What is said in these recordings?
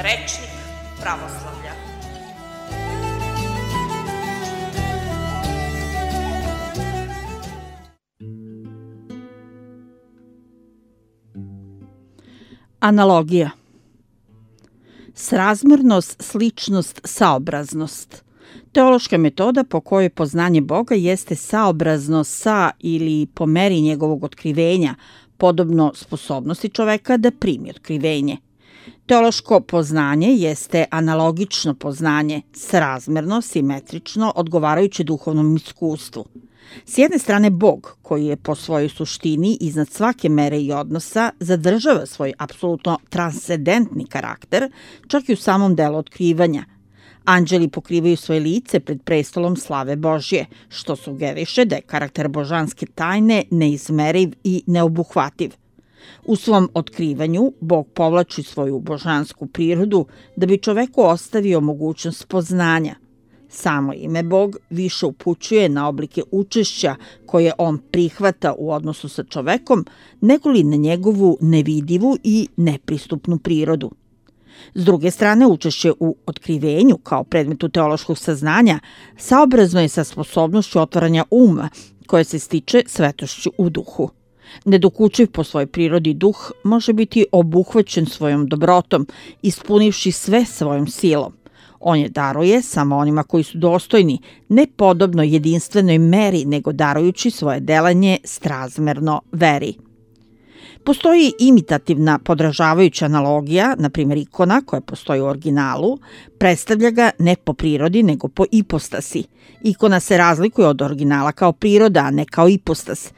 Rečnik pravoslavlja. Analogija. Srazmernost, sličnost, saobraznost. Teološka metoda po kojoj poznanje Boga jeste saobrazno sa ili po meri njegovog otkrivenja, podobno sposobnosti čoveka da primi otkrivenje. Teološko poznanje jeste analogično poznanje, srazmerno, simetrično, odgovarajuće duhovnom iskustvu. S jedne strane, Bog, koji je po svojoj suštini iznad svake mere i odnosa, zadržava svoj apsolutno transcendentni karakter, čak i u samom delu otkrivanja. Anđeli pokrivaju svoje lice pred prestolom slave Božje, što sugeriše da je karakter božanske tajne neizmeriv i neobuhvativ. U svom otkrivanju Bog povlači svoju božansku prirodu da bi čoveku ostavio mogućnost poznanja. Samo ime Bog više upućuje na oblike učešća koje on prihvata u odnosu sa čovekom, nego li na njegovu nevidivu i nepristupnu prirodu. S druge strane, učešće u otkrivenju kao predmetu teološkog saznanja saobrazno je sa sposobnošću otvaranja uma, koje se stiče svetošću u duhu. Nedokučiv po svojoj prirodi duh može biti obuhvaćen svojom dobrotom, ispunivši sve svojom silom. On je daruje samo onima koji su dostojni, ne podobno jedinstvenoj meri, nego darujući svoje delanje srazmerno veri. Postoji imitativna podražavajuća analogija, na primjer ikona koja postoji u originalu, predstavlja ga ne po prirodi nego po ipostasi. Ikona se razlikuje od originala kao priroda, a ne kao ipostas.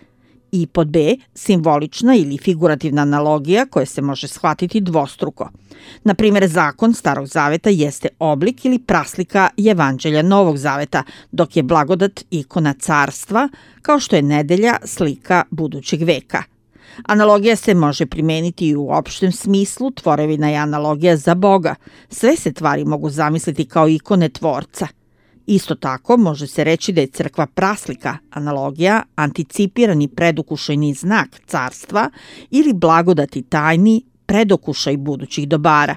I pod B, simbolična ili figurativna analogija koja se može shvatiti dvostruko. Na primjer, zakon Starog zaveta jeste oblik ili praslika Evanđelja Novog zaveta, dok je blagodat ikona carstva, kao što je nedelja slika budućeg veka. Analogija se može primeniti i u opštem smislu, tvorevina je analogija za Boga. Sve se tvari mogu zamisliti kao ikone tvorca. Isto tako može se reći da je crkva praslika, analogija, anticipirani predukušajni znak carstva ili blagodati tajni predokušaj budućih dobara.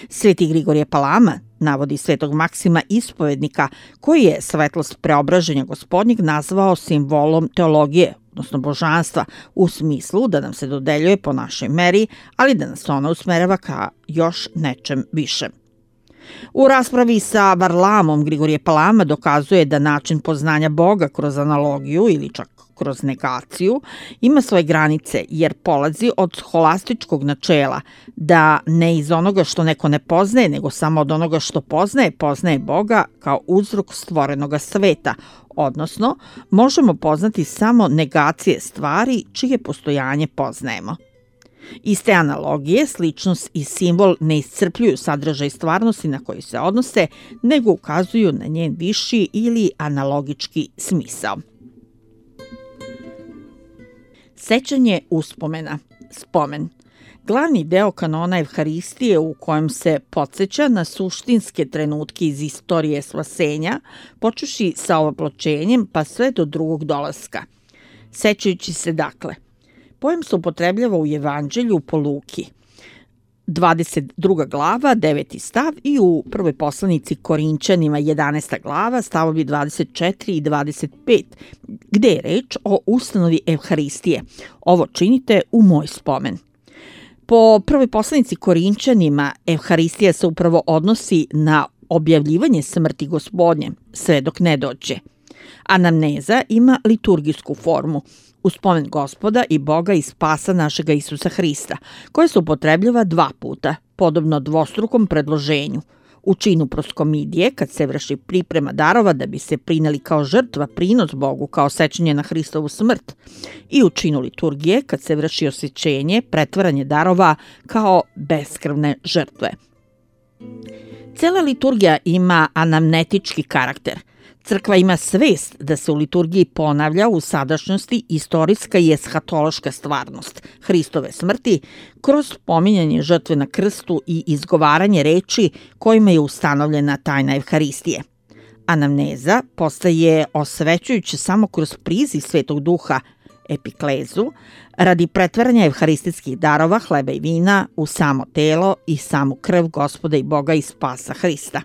Sveti Grigorije Palama navodi svetog Maksima ispovednika, koji je svetlost preobraženja Gospodnjeg nazvao simbolom teologije, odnosno božanstva, u smislu da nam se dodeljuje po našoj meri, ali da nas ona usmerava ka još nečem višem. U raspravi sa Varlamom Grigorije Palama dokazuje da način poznanja Boga kroz analogiju ili čak kroz negaciju ima svoje granice, jer polazi od scholastičkog načela da ne iz onoga što neko ne poznaje, nego samo od onoga što poznaje Boga kao uzrok stvorenoga sveta, odnosno možemo poznati samo negacije stvari čije postojanje poznajemo. Iz te analogije, sličnost i simbol ne iscrpljuju sadržaj stvarnosti na koji se odnose, nego ukazuju na njen viši ili analogički smisao. Sećanje uspomena, spomen. Glavni deo kanona Evharistije u kojem se podsjeća na suštinske trenutke iz istorije spasenja, počeši sa ovoploćenjem pa sve do drugog dolaska. Sećajući se dakle, pojem se upotrebljava u Evanđelju po Luki, 22. glava, 9. stav i u prvoj poslanici Korinćanima, 11. glava, stavovi 24 i 25, gde je reč o ustanovi Evharistije. Ovo činite u moj spomen. Po prvoj poslanici Korinćanima, Evharistija se upravo odnosi na objavljivanje smrti Gospodnje, sve dok ne dođe. Anamneza ima liturgijsku formu, u spomen Gospoda i Boga i spasa našega Isusa Hrista, koje se upotrebljava 2 puta, podobno dvostrukom predloženju. U činu proskomidije, kad se vrši priprema darova da bi se prineli kao žrtva prinos Bogu kao sećanje na Hristovu smrt, i u činu liturgije, kad se vrši osvećenje, pretvaranje darova kao beskrvne žrtve. Cela liturgija ima anamnetički karakter. Crkva ima svest da se u liturgiji ponavlja u sadašnjosti istorijska i eshatološka stvarnost Hristove smrti kroz pominjanje žrtve na krstu i izgovaranje reči kojima je ustanovljena tajna Evharistije. Anamneza postaje osvećujuća samo kroz priziv Svetog Duha. epiklezu, radi pretvaranja evharistijskih darova, hleba i vina, u samo telo i samu krv Gospoda i Boga i spasa Hrista.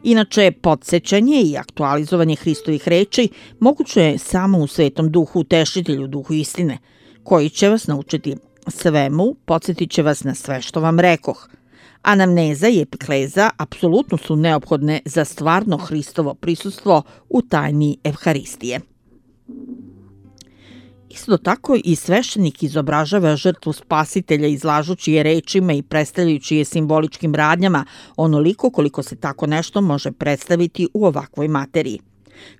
Inače, podsjećanje i aktualizovanje Hristovih reči moguće je samo u Svetom Duhu, Utešitelju, Duhu istine, koji će vas naučiti svemu, podsjetit će vas na sve što vam rekoh. Anamneza i epikleza apsolutno su neophodne za stvarno Hristovo prisustvo u tajni Evharistije. Isto tako i sveštenik izobražava žrtvu spasitelja izlažući je rečima i predstavljajući je simboličkim radnjama onoliko koliko se tako nešto može predstaviti u ovakvoj materiji.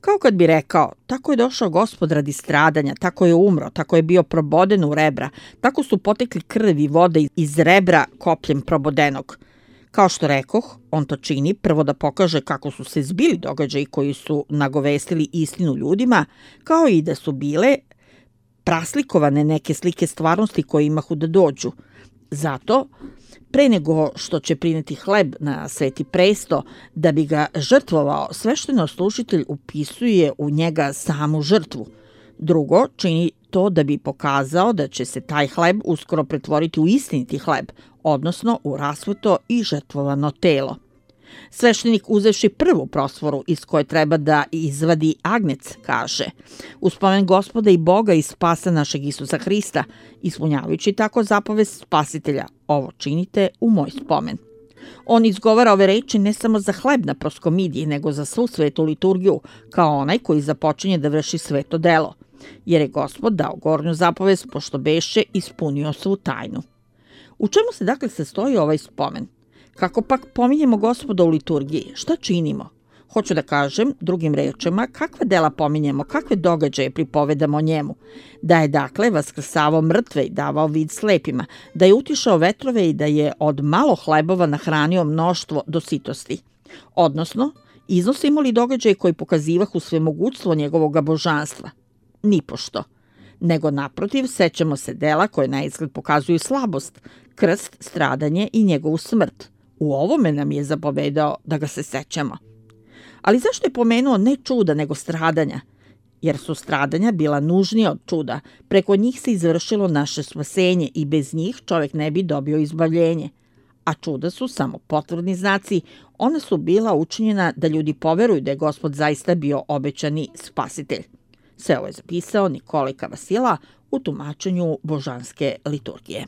Kao kad bi rekao, tako je došao Gospod radi stradanja, tako je umro, tako je bio proboden u rebra, tako su potekli krv i voda iz rebra kopljem probodenog. Kao što rekoh, on to čini prvo da pokaže kako su se zbili događaji koji su nagovestili istinu ljudima, kao i da su bile praslikovane neke slike stvarnosti koje imahu da dođu. Zato, pre nego što će prineti hleb na sveti presto, da bi ga žrtvovao, sveštenoslужitelj upisuje u njega samu žrtvu. Drugo, čini to da bi pokazao da će se taj hleb uskoro pretvoriti u istiniti hleb, odnosno u rasveto i žrtvovano telo. Sveštenik, uzevši prvu prosforu iz koje treba da izvadi agnec, kaže: u spomen Gospoda i Boga i spasa našeg Isusa Hrista, ispunjavajući tako zapovest spasitelja, ovo činite u moj spomen. On izgovara ove reči ne samo za hleb na proskomidiji, nego za svu svetu liturgiju, kao onaj koji započinje da vrši sveto delo, jer je Gospod dao gornju zapovest, pošto beše ispunio svu tajnu. U čemu se dakle sastoji ovaj spomen? Kako pak pominjemo Gospoda u liturgiji? Šta činimo? Hoću da kažem, drugim rečima, kakva dela pominjemo, kakve događaje pripovedamo o njemu. Da je dakle vaskrsavao mrtve i davao vid slepima, da je utišao vetrove i da je od malo hlebova nahranio mnoštvo do sitosti. Odnosno, iznosimo li događaje koji pokazivahu svemogućstvo njegovog božanstva? Nipošto. Nego naprotiv, sećamo se dela koje na izgled pokazuju slabost, krst, stradanje i njegovu smrt. U ovome nam je zapovedao da ga se sećamo. Ali zašto je pomenuo ne čuda, nego stradanja? Jer su stradanja bila nužnija od čuda. Preko njih se izvršilo naše spasenje i bez njih čovjek ne bi dobio izbavljenje. A čuda su samo potvrdni znaci. Ona su bila učinjena da ljudi poveruju da je Gospod zaista bio obećani spasitelj. Sve ovo je zapisao Nikolaj Vasila u tumačenju božanske liturgije.